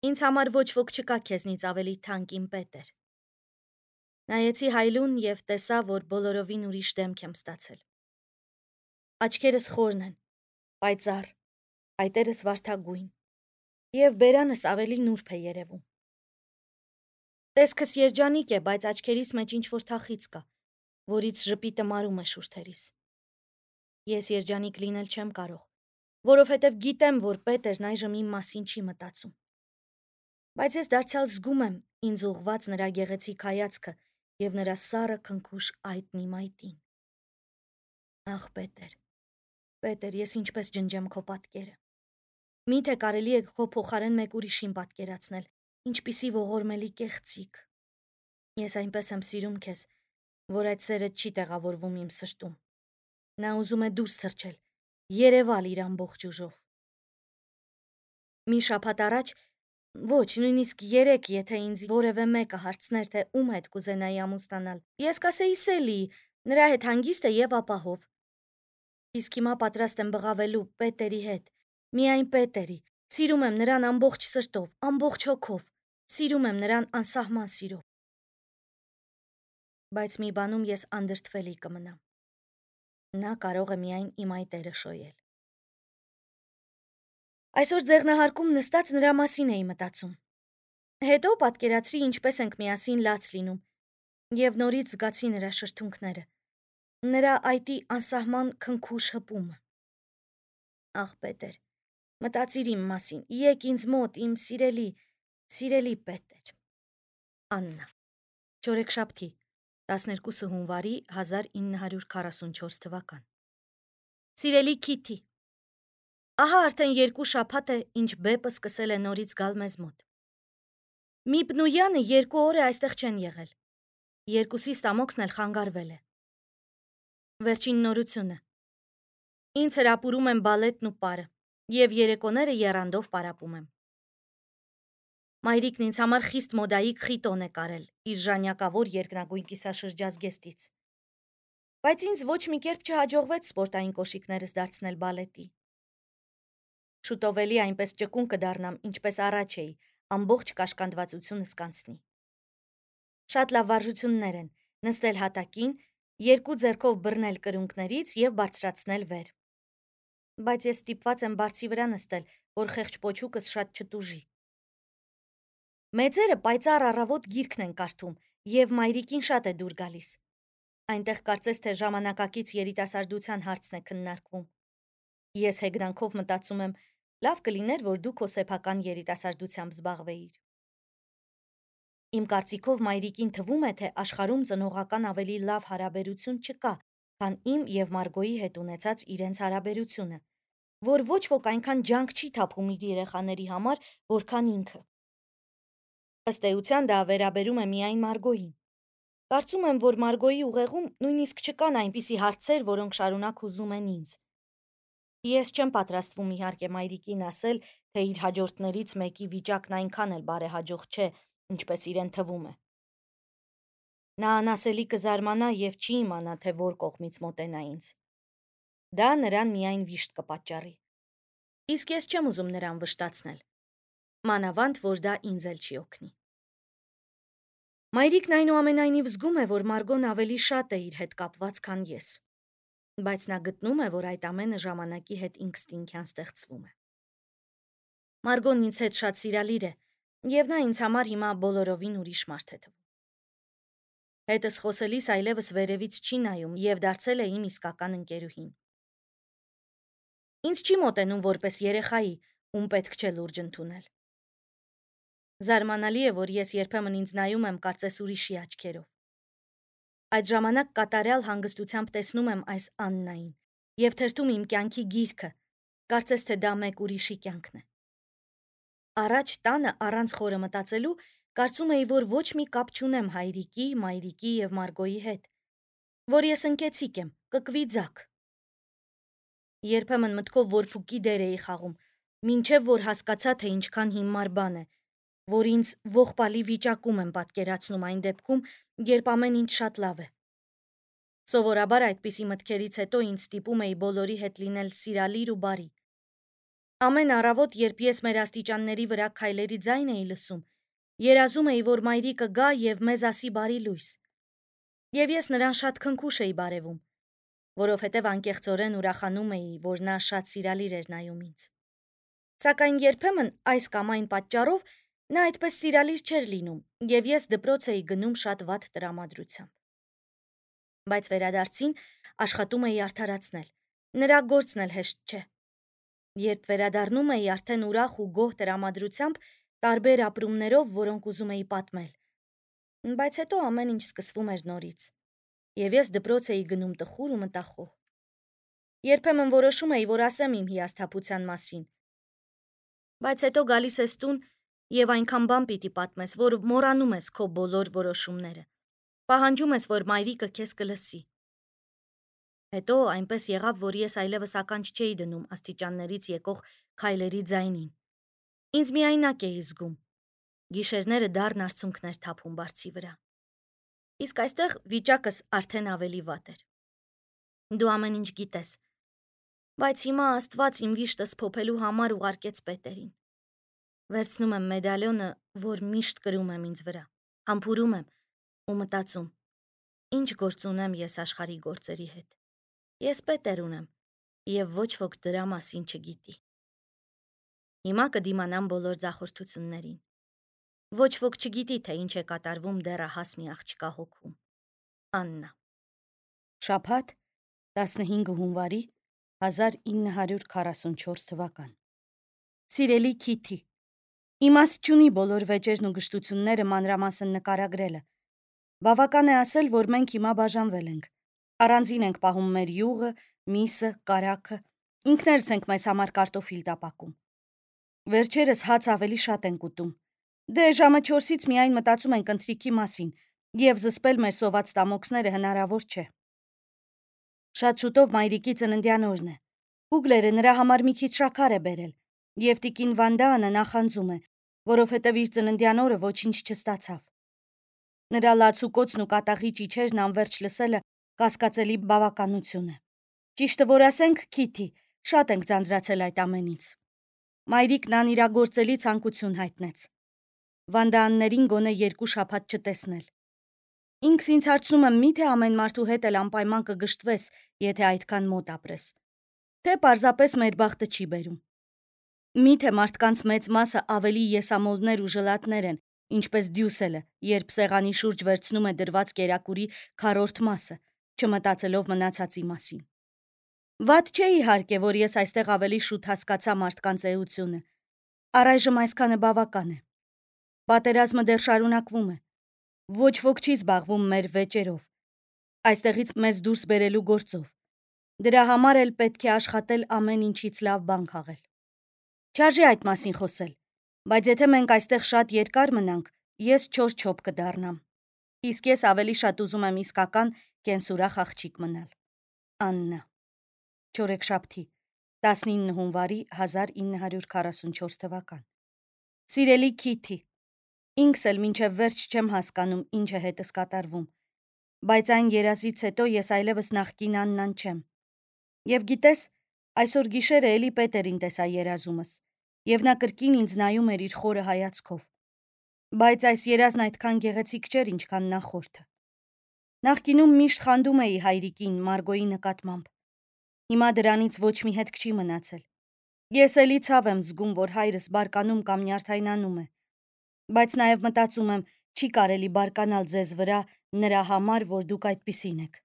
Ինձ համար ոչ ոք չկա քեզնից ավելի թանկ իմ Պետեր։ Նայեցի Հայլուն և տեսա, որ բոլորովին ուրիշ դեմք եմ ստացել։ Աչքերս խորն են, պայծառ, այտերս վարդագույն, և բերանս ավելի նուրբ է երևում։ Տեսքս երջանիկ է, բայց աչքերիս մեջ ինչ-որ թախիծ կա, որից ժպիտը մարում է շուրթերիս։ Ես երջանիկ լինել չեմ կարող, որովհետև գիտեմ, որ Պետերն այժմ իմ մասին չի մտածում։ Բայց ես դարձյալ զգում եմ ինձ ուղղված նրա գեղեցիկ հայացքը և նրա սառը քնքուշ այտն իմ այտին։ Ախ, Պետեր, ես ինչպես ջնջեմ քո պատկերը։ Միթե կարելի է քո փոխարեն մեկ ուրիշին պատկերացնել, ինչպիսի ողորմելի կեղծիք։ Ես այնպես եմ սիրում քեզ, որ այդ սերը չի տեղավորվում իմ սրտում։ Նա ուզում է դուրս թռչել, երևալ իր ամբողջ ուժով։ Մի շաբաթ առաջ, ոչ, նույնիսկ 3, եթե ինձ որևէ մեկը հարցներ, թե ում հետ կուզենայի ամուսնանալ, ես կասեի Սելիի, նրա հետ հանգիստ է և ապահով։ Իսկ հիմա պատրաստ եմ բղավելու Պետերի հետ, միայն Պետերի։ Սիրում եմ նրան ամբողջ սրտով, ամբողջ հոգով, սիրում եմ նրան անսահման սիրով։ Բայց մի բանում ես անդրդվելի կմնամ։ Նա կարող է միայն իմ այտերը շոյել։ Այսօր ձեղնահարկում նստած նրա մասին էի մտածում։ Հետո պատկերացրի, ինչպես ենք միասին լաց լինում, և նորից զգացի նրա շրթունքները, նրա այտի անսահման քնքուշ հպումը։ Ախ, Պետեր, մտածիր իմ մասին, եկ ինձ մոտ, իմ սիրելի Պետեր։ Աննա։ Չորեքշաբթի, 12 հունվարի 1944 թվական։ Սիրելի Քիթի, ահա արդեն 2 շաբաթ է, ինչ բեպը սկսել է նորից գալ մեզ մոտ։ Միպն ու Յանը 2 օր է այստեղ չեն եղել։ Երկուսի ստամոքսն էլ խանգարվել է։ Վերջին նորությունը։ Ինձ հրապուրում են բալետն ու պարը, և երեկոները եռանդով պարապում եմ։ Մայրիկն ինձ համար խիստ մոդայիկ խիտոն է կարել իր ժանյակավոր երկնագույն կիսաշրջազգեստից։ Բայց ինձ ոչ մի կերպ չհաջողվեց սպորտային կոշիկներս դարձնել բալետի։ Շուտով էլի այնպես ճկուն կդառնամ, ինչպես առաջ էի, ամբողջ կաշկանդվածությունս կանցնի։ Շատ լավ վարժություններ են՝ նստել հատակին, 2 ձեռքով բռնել կրունկներից և բարձրացնել վեր։ Բայց ես ստիպված եմ բարձի վրա նստել, որ խեղճ պոչուկս շատ չտուժի։ Մեծերը պայծառ առավոտ գիրքն են կարդում, և մայրիկին շատ է դուր գալիս։ Այնտեղ կարծես թե ժամանակակից երիտասարդության հարցն է քննարկվում։ Ես հեգնանքով մտածում եմ, լավ կլիներ, որ դու քո սեփական երիտասարդությամբ զբաղվեիր։ Իմ կարծիքով մայրիկին թվում է, թե աշխարհում ծնողական ավելի լավ հարաբերություն չկա, քան իմ և Մարգոյի հետ ունեցած իրենց հարաբերությունը, որ ոչ ոք այնքան ջանք չի թափում իր երեխաների համար, որքան ինքը։ Ըստ էության դա վերաբերում է միայն Մարգոյին։ Կարծում եմ, որ Մարգոյի ուղեղում նույնիսկ չկան այնպիսի հարցեր, որոնք շարունակ հուզում են ինձ։ Ես չեմ պատրաստվում իհարկե մայրիկին ասել, թե իր հաջորդներից մեկի վիճակն այնքան էլ բարեհաջող չէ, ինչպես իրեն թվում է։ Նա անասելի կզարմանա և չի իմանա, թե որ կողմից մոտենա ինձ։ Դա նրան միայն վիշտ կպատճառի։ Իսկ ես չեմ ուզում նրան վշտացնել։ Մանավանդ, որ դա ինձ էլ չի օգնի։ Մայրիկն այնուամենայնիվ զգում է, որ Մարգոն ավելի շատ է իր հետ կապված, քան ես։ Բայց նա գտնում է, որ այդ ամենը ժամանակի հետ ինքնըստինքյան ստեղծվում է։ Մարգոն ինձ հետ շատ սիրալիր է, և նա ինձ համար հիմա բոլորովին ուրիշ մարդ է թվում։ Հետս խոսելիս այլևս վերևից չի նայում և դարձել է իմ իսկական ընկերուհին։ Ինձ չի մոտենում որպես երեխայի, ում պետք չէ լուրջ ընդունել։ Զարմանալի է, որ ես երբեմն ինձ նայում եմ կարծես ուրիշի աչքերով։ Այդ ժամանակ կատարյալ հանգստությամբ տեսնում եմ այս Աննային և թերթում իմ կյանքի գիրքը, կարծես թե դա մեկ ուրիշի կյանքն է։ Առաջ տանը առանց խորը մտածելու կարծում էի, որ ոչ մի կապ չունեմ հայրիկի, մայրիկի և Մարգոյի հետ, որ ես ընկեցիկ եմ, կկվիձակ։ Երբեմն մտքով որբուկի դեր էի խաղում, մինչև որ հասկացա, թե ինչքան հիմար բան է, որ ինձ ողբալի վիճակում եմ պատկերացնում այն դեպքում, երբ ամեն ինչ շատ լավ է։ Սովորաբար այդպիսի մտքերից հետո ինձ ստիպում էի բոլորի հետ լինել սիրալիր ու բարի։ Ամեն առավոտ, երբ ես մեր աստիճանների վրա քայլերի ձայն էի լսում, երազում էի, որ մայրիկը գա եւ մեզ ասի բարի լույս։ Եվ ես նրան շատ քնքուշ էի բարևում, որովհետև անկեղծորեն ուրախանում էի, որ նա շատ սիրալիր էր նայում ինձ։ Սակայն երբեմն այս կամ այն պատճառով նա այդպես սիրալիր չէր լինում, եւ ես դպրոց էի գնում շատ վատ տրամադրությամբ։ Բայց վերադարձին աշխատում էի արդարացնել։ Նրա գործն էլ հեշտ չէ։ Երբ վերադառնում էի արդեն ուրախ ու գոհ տրամադրությամբ, տարբեր ապրումներով, որոնք ուզում էի պատմել։ Բայց հետո ամեն ինչ սկսվում էր նորից, եւ ես դպրոց էի գնում տխուր ու մտախոհ։ Երբեմն որոշում էի, որ ասեմ իմ հիասթափության մասին, բայց հետո գալիս ես տուն եւ այնքան բան պիտի պատմես, որ մոռանում ես քո բոլոր որոշումները։ Պահանջում ես, որ մայրիկը քեզ կլսի։ Հետո այնպես եղավ, որ ես այլևս ականջ չէի դնում աստիճաններից եկող քայլերի ձայնին։ Ինձ միայնակ էի զգում։ Գիշերները դառն արցունքներ թափում բարձի վրա։ Իսկ այստեղ վիճակս արդեն ավելի վատ էր։ Դու ամեն ինչ գիտես, բայց հիմա Աստված իմ վիշտս փոփելու համար ուղարկեց պետերին։ Վերցնում եմ մեդալյոնը, որ միշտ կրում եմ ինձ վրա, համբուրում եմ ու մտածում. ինչ գործ ունեմ ես աշխարհի գործերի հետ։ Ես պետեր ունեմ, եւ ոչ ոք դրա մասին չգիտի։ Հիմա կդիմանամ բոլոր ձախորդություններին։ Ոչ ոք չգիտի, թե ինչ է կատարվում դեռահաս մի աղջկա հոգում։ Աննա։ Շաբաթ 15 հունվարի 1944 թվական։ Սիրելի Քիթի, իմաստ չունի բոլոր վեճերն ու գժտությունները մանրամասն նկարագրելը։ Բավական է ասել, որ մենք հիմա բաժանվել ենք։ Առանձին ենք պահում մեր յուղը, միսը, կարագը, ինքներս ենք մեզ համար կարտոֆիլ տապակում։ Վերջերս հաց ավելի շատ ենք ուտում։ Դե ժամը 4-ից միայն մտածում ենք ընթրիքի մասին, եւ զսպել մեր սոված տամոքսները հնարավոր չէ։ Շատ շուտով մայրիկի ծննդյան օրն է։ Հուգլերը նրա համար մի քիչ շաքար է բերել, եւ տիկին Վանդանը նախանձում է, որովհետեւ իր ծննդյան օրը ոչինչ չստացավ։ Նրա լացուկոցն ու կատաղի ճիչերն անverջ լսելը կասկածելի բավականություն է։ Ճիշտը որ ասենք, Քիթի, շատ ենք ձանձրացել այդ ամենից։ Մայրիկն անիրագործելի ցանկություն հայտնեց։ Վանդաաններին գոնե 2 շաբաթ չտեսնել։ Ինքս ինձ հարցնում եմ, միթե ամեն մարդու հետ էլ անպայման կգժտվես, եթե այդքան մոտ ապրես։ Թե պարզապես մեր բախտը չի բերում։ Միթե մարդկանց մեծ մասը ավելի եսամոլներ ու ժլատներ են, ինչպես դյուսելը, երբ սեղանի շուրջ վերցնում է դրված կերակուրի քառորդ մասը, չմտածելով մնացածի մասին։ Վատ չէ իհարկե, որ ես այստեղ ավելի շուտ հասկացա մարդկանց էությունը։ Առայժմ այսքանը բավական է։ Պատերազմը դեռ շարունակվում է։ Ոչ ոք չի զբաղվում մեր վեճերով, այստեղից մեզ դուրս բերելու գործով։ Դրա համար էլ պետք է աշխատել ամեն ինչից լավ բան քաղել։ Չարժե այդ մասին խոսել, բայց եթե մենք այստեղ շատ երկար մնանք, ես չոր չոփ կդառնամ։ Իսկ ես ավելի շատ ուզում եմ իսկական կենսուրախ աղջիկ մնալ։ Աննա։ Չորեքշաբթի 19 հունվարի 1944 թվական։ Սիրելի Քիթի, ինքս էլ մինչև վերջ չեմ հասկանում ինչ է հետս կատարվում, բայց այն երազից հետո ես այլևս նախկին Աննան չեմ։ Եվ գիտես, այսօր գիշերը էլի Պետերին տեսա երազումս, եւ նա կրկին ինձ նայում էր իր խորը հայացքով։ Բայց այս երազն այդքան գեղեցիկ չէր, ինչքան նախորդը։ Նախկինում միշտ խանդում էի հայրիկին Մարգոյի նկատմամբ։ Հիմա դրանից ոչ մի հետք չի մնացել։ Ես էլի ցավ եմ զգում, որ հայրս բարկանում կամ նյարդայնանում է, բայց նաև մտածում եմ, չի կարելի բարկանալ ձեզ վրա նրա համար, որ դուք այդպիսին եք։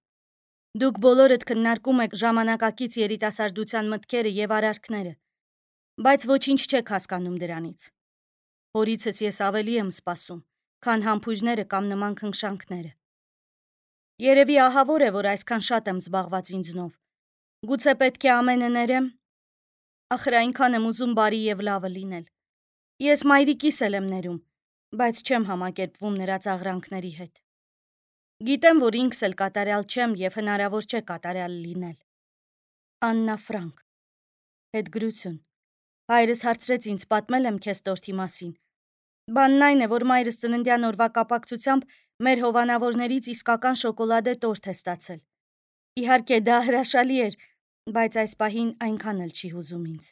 Դուք բոլորդ քննարկում եք ժամանակակից երիտասարդության մտքերը եւ արարքները, բայց ոչինչ չեք հասկանում դրանից։ Հորիցս ես ավելի եմ սպասում, քան համբույրները կամ նման քնքշանքները։ Երևի ահավոր է, որ այսքան շատ եմ զբաղված ինձնով։ Գուցե պետք է ամենը ներեմ։ Ախր այնքան եմ ուզում բարի եւ լավը լինել։ Ես մայրիկիս էլ եմ ներում, բայց չեմ համակերպվում նրա ծաղրանքների հետ։ Գիտեմ, որ ինքս էլ կատարյալ չեմ եւ հնարավոր չէ կատարյալ լինել։ Աննա Ֆրանկ։ Հետգրություն։ Հայրս հարցրեց ինձ պատմել եմ քեզ տորթի մասին։ Բանն այն է, որ մայրս ծննդյան օրվա կապակցությամբ մեր հովանավորներից իսկական շոկոլադե տորթ է ստացել։ Իհարկե դա հրաշալի էր, բայց այս պահին այնքան էլ չի հուզում ինձ։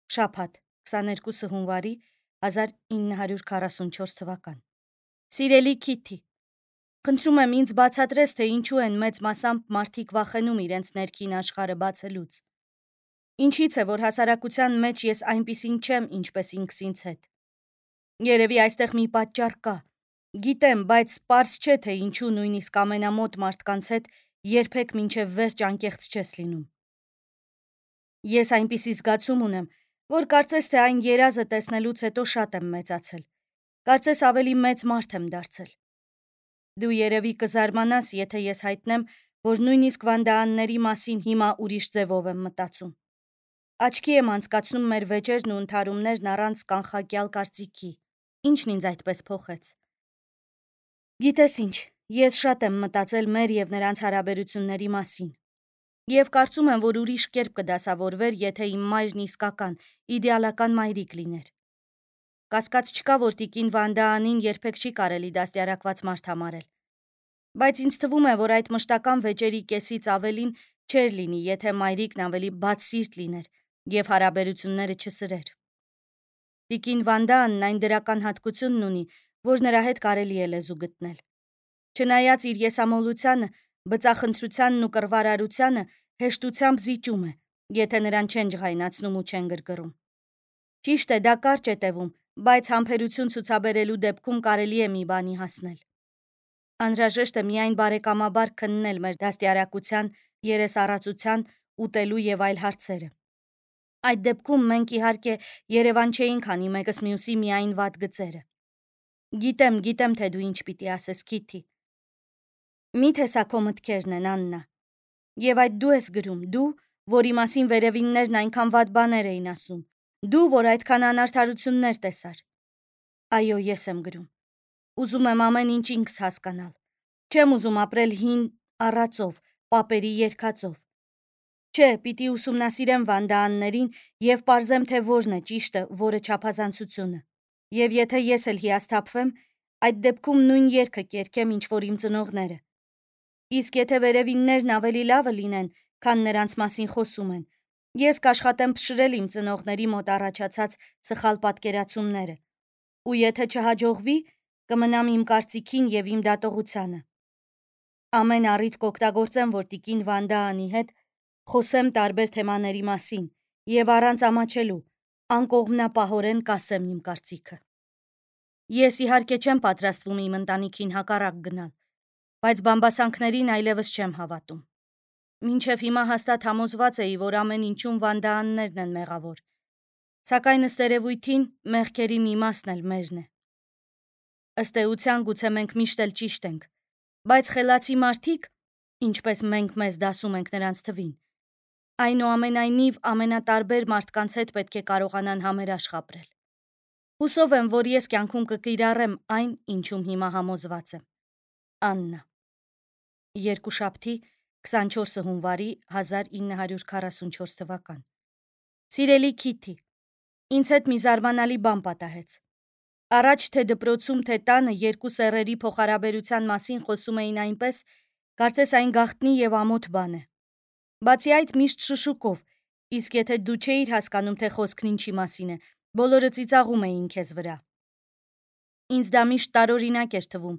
Շաբաթ 22 հունվարի 1944 թվական։ Սիրելի Քիթի, խնդրում եմ ինձ բացատրես, թե ինչու են մեծ մասամբ մարդիկ վախենում իրենց ներքին աշխարհը բացելուց։ Ինչից է, որ հասարակության մեջ ես այնպիսին չեմ, ինչպես ինքս ինձ հետ։ Երևի այստեղ մի պատճառ կա։ Գիտեմ, բայց պարզ չէ, թե ինչու նույնիսկ ամենամոտ մարդկանց հետ երբեք մինչև վերջ անկեղծ չես լինում։ Ես այնպիսի զգացում ունեմ, որ կարծես թե այն երազը տեսնելուց հետո շատ եմ մեծացել։ Կարծես ավելի մեծ մարդ եմ դարձել։ Դու երևի կզարմանաս, եթե ես հայտնեմ, որ նույնիսկ վանդաանների մասին հիմա ուրիշ ձևով եմ մտածում։ Աչքի եմ անցկացնում մեր վեճերն ու ընդհարումներն առանց կանխակյալ կարծիքի։ Ինչն ինձ այդպես փոխեց։ Գիտես ինչ, ես շատ եմ մտածել մեր եւ նրանց հարաբերությունների մասին։ Եվ կարծում եմ, որ ուրիշ կերպ կդասավորվեր, եթե իմ մայրն իսկական, իդեալական մայրիկ լիներ։ Կասկած չկա, որ տիկին Վանդաանին երբեք չի կարելի դաստիարակված մարդ համարել։ Բայց ինձ թվում է, որ այդ մշտական վեճերի կեսից ավելին չէր լինի, եթե մայրիկն ավելի բացսիրտ լիներ եւ հարաբերությունները չսրեր։ Տիկին Վանդաանն այն դրական հատկությունն ունի, որ նրա հետ կարելի է լեզու գտնել։ Չնայած իր եսամոլությանը, բծախնդրությանն ու կռվարարությանը հեշտությամբ զիջում է, եթե նրան չեն ջղայնացնում ու չեն գրգռում։ Ճիշտ է, դա կարճ է տևում, բայց համբերություն ցուցաբերելու դեպքում կարելի է մի բանի հասնել։ Անհրաժեշտ է միայն բարեկամաբար քննել մեր դաստիարակության, երեսառածության, ուտելու եւ այլ հարցերը։ Այդ դեպքում մենք իհարկե Երևան չէինք անի մեկս մյուսի միայն վատ գծերը։ Գիտեմ, թե դու ինչ պիտի ասես, Քիթի։ Միթե սա քո մտքերն են, Աննա։ Եվ այդ դու ես գրում, դու, որի մասին վերևիններն այնքան վատ բաներ էին ասում, դու, որ այդքան անարդարություններ տեսար։ Այո, ես եմ գրում։ Ուզում եմ ամեն ինչ ինքս հասկանալ։ Չեմ ուզում ապրել հին առածով, պապերի երգածով։ Չէ, պիտի ուսումնասիրեմ Վանդաաններին եւ պարզեմ, թե որն է ճիշտը, որը չափազանցությունը։ Եվ եթե ես էլ հիասթափվեմ, այդ դեպքում նույն երգը կերգեմ, ինչ որ իմ ծնողները։ Իսկ եթե վերևիններն ավելի լավը լինեն, քան նրանց մասին խոսում են, ես կաշխատեմ փշրել իմ ծնողների մոտ առաջացած սխալ պատկերացումները։ Ու եթե չհաջողվի, կմնամ իմ կարծիքին եւ իմ դատողությանը։ Ամեն առիթ կօգտագործեմ, որ տիկին Վանդաանի հետ խոսեմ տարբեր թեմաների մասին եւ առանց ամաչելու, անկողմնապահորեն կասեմ իմ կարծիքը։ Ես իհարկե չեմ պատրաստվում իմ ընտանիքին հակառակ գնալ, բայց բամբասանքներին այլևս չեմ հավատում։ Մինչև հիմա հաստատ համոզված էի, որ ամեն ինչում Վանդաաններն են մեղավոր, սակայն ըստ երևույթին մեղքերի մի մասն էլ մերն է։ Ըստ էության գուցե մենք միշտ էլ ճիշտ ենք, բայց խելացի մարդիկ, ինչպես մենք մեզ դասում ենք նրանց թվին, այնուամենայնիվ ամենատարբեր մարդկանց հետ պետք է կարողանան համերաշխ ապրել։ Հուսով եմ, որ ես կյանքում կկիրառեմ այն, ինչում հիմա համոզված եմ։ Աննա։ Երկուշաբթի 24 հունվարի 1944 թվական։ Սիրելի Քիթի, ինձ հետ մի զարմանալի բան պատահեց։ Առաջ թե դպրոցում, թե տանը երկու սեռերի փոխհարաբերության մասին խոսում էին այնպես, կարծես այն գաղտնի եւ ամոթ բան է։ Բացի այդ միշտ շշուկով, իսկ եթե դու չէիր հասկանում, թե խոսքն ինչի մասին է, բոլորը ծիծաղում էին քեզ վրա։ Ինձ դա միշտ տարօրինակ էր թվում,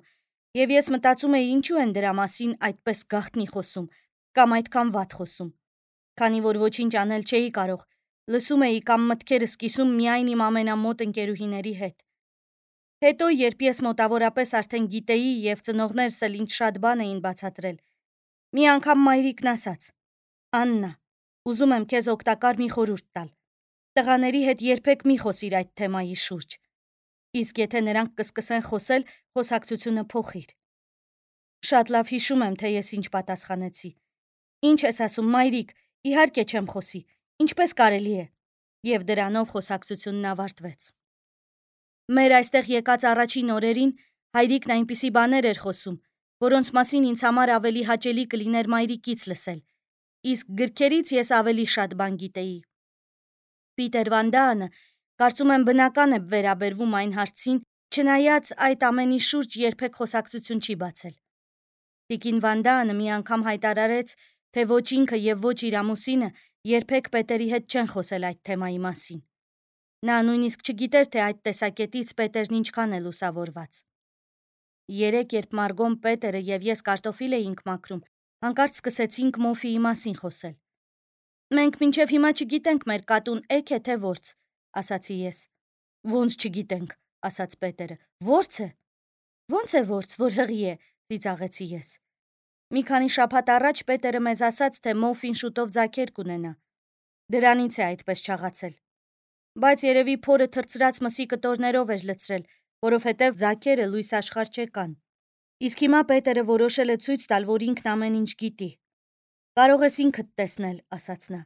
եւ ես մտածում էի ինչու են դրա մասին այդպես գաղտնի խոսում, կամ այդքան վատ խոսում։ Քանի որ ոչինչ անել չէի կարող, լսում էի կամ մտքերս կիսում միայն իմ ամենամոտ ընկերուհիների հետ։ Հետո, երբ ես մոտավորապես արդեն գիտեի եւ ծնողներս էլ ինձ շատ բան էին բացատրել, մի անգամ մայրիկն ասաց. Աննա, ուզում եմ քեզ օգտակար մի խորհուրդ տալ։ Տղաների հետ երբեք մի խոսիր այդ թեմայի շուրջ։ Իսկ եթե նրանք կսկսեն խոսել, խոսակցությունը փոխիր։ Շատ լավ հիշում եմ, թե ես ինչ պատասխանեցի։ Ինչ ես ասում, մայրիկ, իհարկե չեմ խոսի, ինչպես կարելի է։ Եվ դրանով խոսակցությունն ավարտվեց։ Մեր այստեղ եկած առաջին օրերին հայրիկն այնպիսի բաներ էր խոսում, որոնց մասին ինձ համար ավելի հաճելի կլիներ մայրիկից լսել, իսկ գրքերից ես ավելի շատ բան գիտեի։ Պիտեր Վանդաանը, կարծում եմ բնական է վերաբերվում այն հարցին, չնայած այդ ամենի շուրջ երբեք խոսակցություն չի բացել։ Տիկին Վանդաանը մի անգամ հայտարարեց, թե ոչ ինքը եւ ոչ իր ամուսինը երբեք պետերի հետ չեն խոսել այդ թեմայի մասին։ Նա նույնիսկ չգիտեր, թե այդ տեսակետից Պետերն ինչքան է լուսավորված։ Երեկ, երբ Մարգոն, Պետերը եւ ես կարտոֆիլ էինք մաքրում, հանկարծ սկսեցինք Մոֆիի մասին խոսել։ Մենք մինչև հիմա չգիտենք մեր կատուն էգ է թե որց, ասացի ես։ Ոնց չգիտենք, ասաց Պետերը։ Որց է։ Ոնց է որց, որ հղի է, ծիծաղեցի ես։ Մի քանի շաբաթ առաջ Պետերը մեզ ասաց, թե Մոֆին շուտով ձագեր կունենա։ Դրանից է այդպես չաղացել։ Բայց երևի փորը թրծրած մսի կտորներով էր լցրել, որովհետև ձագերը լույս աշխարհ չեկան։ Իսկ հիմա Պետերը որոշել է ցույց տալ, որ ինքն ամեն ինչ գիտի։ Կարող ես ինքդ տեսնել, ասաց նա։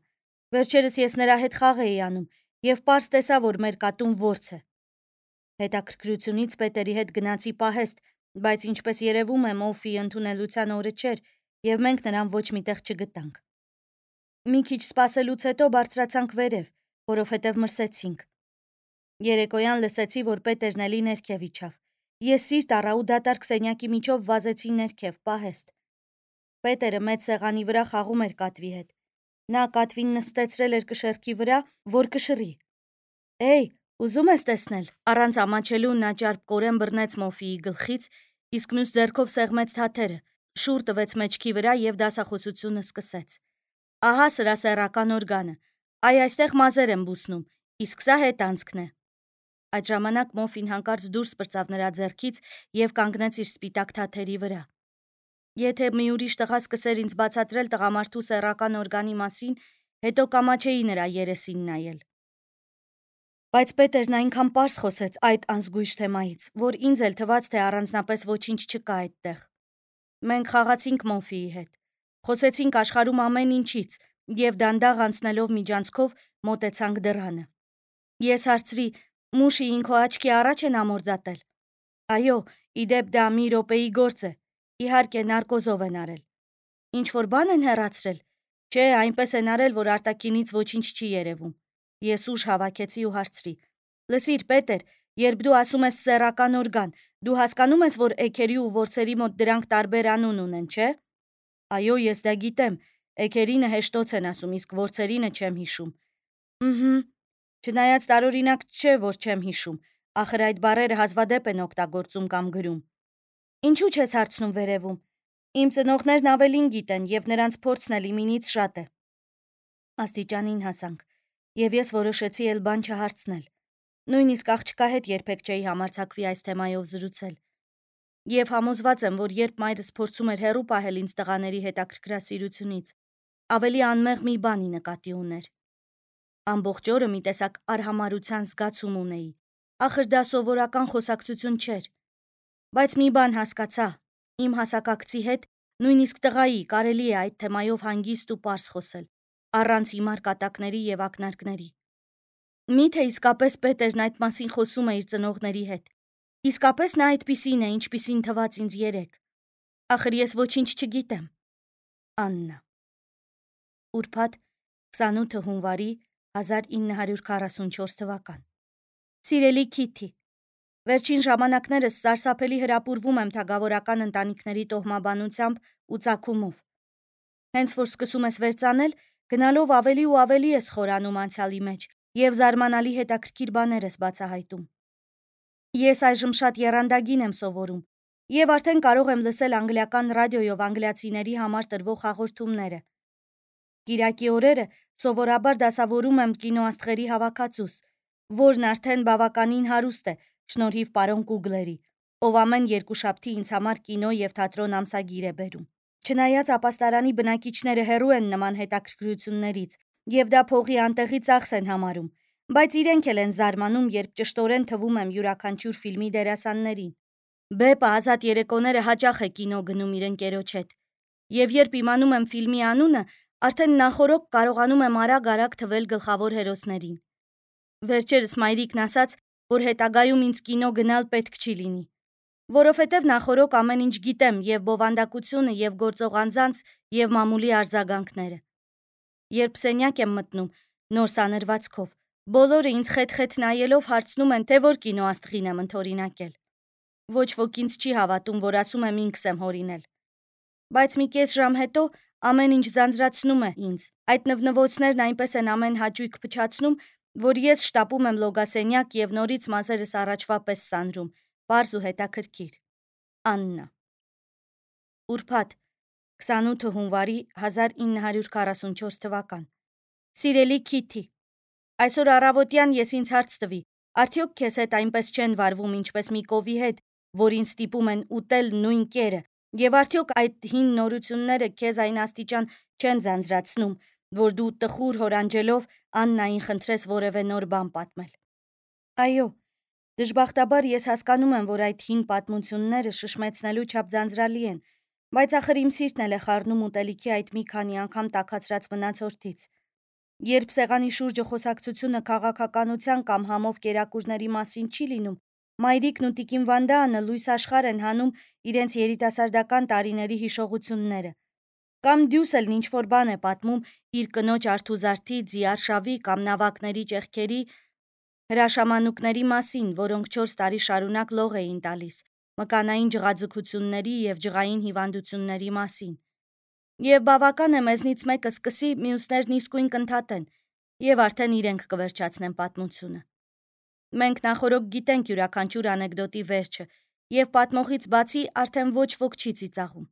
Վերջերս ես նրա հետ խաղ էի անում եւ պարզ տեսա, որ մեր կատուն որց է։ Հետաքրքրությունից Պետերի հետ գնացի պահեստ, բայց ինչպես երևում է, Մոֆի ընդունելության օրը չէր եւ մենք նրան ոչ միտեղ չգտանք։ Մի քիչ սպասելուց հետո բարձրացանք վերև, որովհետև մրսեցինք։ Երեկոյան լսեցի, որ Պետերն էլի ներքև իջավ։ Ես սիրտ առա ու դատարկ սենյակի միջով վազեցի ներքև, պահեստ։ Պետերը մեծ սեղանի վրա խաղում էր կատվի հետ։ Նա կատվին նստեցրել էր կշեռքի վրա, որ կշռի։ Էй, ուզում ես տեսնել։ Առանց ամաչելու նա ճարպկորեն բռնեց Մոֆիի գլխից, իսկ մյուս ձեռքով սեղմեց թաթերը, շուռ տվեց մեջքի վրա եւ դասախոսությունը սկսեց։ Ահա սրա սեռական օրգանը։ Այ այստեղ մազեր եմ բուսնում, իսկ սա հետանցքն է։ Այդ ժամանակ Մոֆին հանկարծ դուրս պրծավ նրա ձեռքից եւ կանգնեց իր սպիտակ թաթերի վրա։ Եթե մի ուրիշ տղա սկսեր ինձ բացատրել տղամարդու սեռական օրգանի մասին, հետո կամաչեի նրա երեսին նայել։ Բայց Պետերն այնքան պարզ խոսեց այդ անզգույշ թեմայից, որ ինձ էլ թվաց, թե առանձնապես ոչինչ չկա այդտեղ։ Մենք խաղացինք Մոֆիի հետ, խոսեցինք աշխարհում ամեն ինչից եւ դանդաղ անցնելով միջանցքով մոտեցանք դռանը։ Ես հարցրի. «Մուշիին քո աչքի առաջ են ամորձատել»։ Այո, իդեպ դա մի րոպեի գործ է։ Իհարկե նարկոզով են արել։ Ինչ որ բան են հեռացրել։ Չէ, այնպես են արել, որ արտաքինից ոչինչ չի երևում։ Ես ուժ հավաքեցի ու հարցրի. «Լսիր, Պետեր, երբ դու ասում ես սեռական օրգան, դու հասկանում ես, որ էգերի ու որսերի մոտ դրանք տարբեր անուն ունեն, չէ»։ Այո, ես դա գիտեմ։ Էգերինը հեշտոց են ասում, իսկ որսերինը չեմ հիշում։ Ըհը։ Չնայած տարօրինակ չէ, որ չեմ հիշում, ախր այդ բառերը հազվադեպ են օգտագործում կամ գրում։ Ինչու չես հարցնում վերևում։ Իմ ծնողներն ավելին գիտեն եւ նրանց փորձն էլ իմինից շատ է։ Աստիճանին հասանք եւ ես որոշեցի էլ բան չհարցնել։ Նույնիսկ աղջկա հետ երբեք չէի համարձակվի այս թեմայով զրուցել։ Եվ համոզված եմ, որ երբ մայրս փորձում էր հեռու պահել ինձ տղաների հետաքրքրասիրությունից, ավելի անմեղ մի բանի նկատի ուներ։ Ամբողջ օրը մի տեսակ արհամարհության զգացում ունեի։ Ախր դա սովորական խոսակցություն չէր։ Բայց մի բան հասկացա. իմ հասակակցի հետ, նույնիսկ տղայի, կարելի է այդ թեմայով հանգիստ ու պարզ խոսել, առանց հիմար կատակների եւ ակնարկների։ Միթե իսկապես Պետերն այդ մասին խոսում է իր ծնողների հետ։ Իսկապես նա այդպիսին է, ինչպիսին թվաց ինձ երեկ։ Ախր ես ոչինչ չգիտեմ։ Աննա։ Ուրբաթ 28 հունվարի 1944 թվական։ Սիրելի Քիթի, վերջին ժամանակներս սարսափելի հրապուրվում եմ թագավորական ընտանիքների տոհմաբանությամբ ու ծագումով։ Հենց որ սկսում ես վերծանել, գնալով ավելի ու ավելի ես խորանում անցյալի մեջ եւ զարմանալի հետաքրքիր բաներ ես բացահայտում։ Ես այժմ շատ եռանդագին եմ սովորում եւ արդեն կարող եմ լսել անգլիական ռադիոյով անգլիացիների համար տրվող հաղորդումները։ Կիրակի օրերը սովորաբար դասավորում եմ կինոաստղերի հավաքածուս, որն արդեն բավականին հարուստ է, շնորհիվ պարոն Կուգլերի, ով ամեն երկուշաբթի ինձ համար կինո եւ թատրոն ամսագիր է բերում։ Չնայած ապաստարանի բնակիչները հեռու են նման հետաքրքրություններից եւ դա փողի անտեղի ծախս են համարում, բայց իրենք էլ են զարմանում, երբ ճշտորեն թվում եմ յուրաքանչյուր ֆիլմի դերասաններին։ Բեպը ազատ երեկոները հաճախ է կինո գնում իր ընկերոջ հետ, եւ երբ իմանում եմ ֆիլմի անունը, արդեն նախօրոք կարողանում եմ արագ-արագ թվել գլխավոր հերոսներին։ Վերջերս մայրիկն ասաց, որ հետագայում ինձ կինո գնալ պետք չի լինի, որովհետև նախօրոք ամեն ինչ գիտեմ եւ բովանդակությունը եւ գործող անձանց եւ մամուլի արձագանքները։ Երբ սենյակ եմ մտնում նոր սանրվածքով, բոլորը ինձ խետ-խետ նայելով հարցնում են, թե որ կինոաստղին եմ ընդօրինակել։ Ոչ ոք ինձ չի հավատում, որ ասում եմ ինքս եմ հորինել։ Բայց մի կես ժամ հետո ամեն ինչ ձանձրացնում է ինձ։ Այդ նվնվոցներն այնպես են ամեն հաճույք փչացնում, որ ես շտապում եմ լոգասենյակ և նորից մազերս առաջվա պես սանրում, պարզ ու հետաքրքիր։ Աննա։ Ուրբաթ 28 հունվարի 1944 թվական։ Սիրելի Քիթի, այսօր առավոտյան ես ինձ հարց տվի, արդյոք քեզ հետ այնպես չեն վարվում, ինչպես մի կովի հետ, որին ստիպում են ուտել նույն կերը, և արդյոք այդ հին նորությունները քեզ այն աստիճան չեն ձանձրացնում, որ դու տխուր հորանջելով Աննային խնդրես որևէ նոր բան պատմել։ Այո, դժբախտաբար ես հասկանում եմ, որ այդ հին պատմությունները շշմեցնելու չափ ձանձրալի են, բայց ախր իմ սիրտն էլ է խառնում ուտելիքի այդ մի քանի անգամ տաքացրած մնացորդից։ Երբ սեղանի շուրջը խոսակցությունը քաղաքականության կամ համով կերակուրների մասին չի լինում, մայրիկն ու տիկին Վանդաանը լույս աշխարհ են հանում իրենց երիտասարդական տարիների հիշողությունները։ Կամ դյուս էլ ինչ-որ բան է պատմում իր կնոջ արթուզարդի, ձիարշավի կամ նավակների ճեղքերի հրաշամանուկների մասին, որոնք 4 տարի շարունակ լող էին տալիս, մկանային ջղաձգությունների և ջղային հիվանդությունների մասին։ Եվ բավական է մեզնից մեկը սկսի, մյուսներն իսկույն կընդհատեն, և արդեն իրենք կվերջացնեն պատմությունը։ Մենք նախօրոք գիտենք յուրաքանչյուր անեկդոտի վերջը, և պատմողից բացի արդեն ոչ ոք չի ծիծաղում։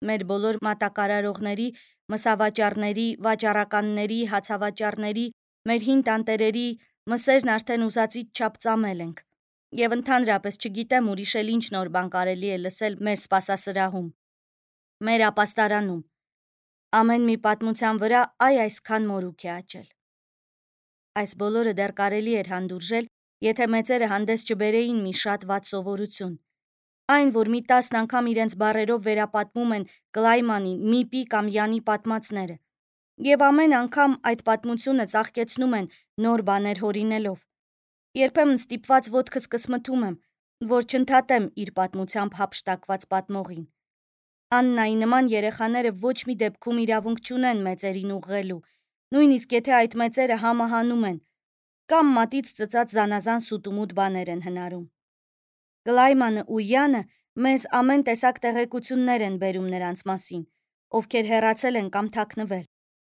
Մեր բոլոր մատակարարողների, մսավաճառների, վաճառականների, հացավաճառների, մեր հին տանտերերի մսերն արդեն ուզածից չափ ծամել ենք, և ընդհանրապես չգիտեմ ուրիշ էլ ինչ նոր բան կարելի է լսել մեր սպասասրահում, մեր ապաստարանում։ Ամեն մի պատմության վրա այսքան մորուք է աճել։ Այս բոլորը դեռ կարելի էր հանդուրժել, եթե մեծերը հանդես չբերեին մի շատ վատ սովորություն։ Այն, որ մի 10 անգամ իրենց բառերով վերապատմում են Կլայմանի, Միպի կամ Յանի պատմածները, և ամեն անգամ այդ պատմությունը ծաղկեցնում են նոր բաներ հորինելով։ Երբեմն ստիպված ոտքս կսմթում եմ, որ չընդհատեմ իր պատմությամբ հափշտակված պատմողին։ Աննայի նման երեխաները ոչ մի դեպքում իրավունք չունեն մեծերին ուղղելու, նույնիսկ եթե այդ մեծերը համը հանում են, կամ մատից ծծած զանազան սուտումուտ բաներ են հնարում։ Կլայմանը ու Յանը մեզ ամեն տեսակ տեղեկություններ են բերում նրանց մասին, ովքեր հեռացել են կամ թաքնվել։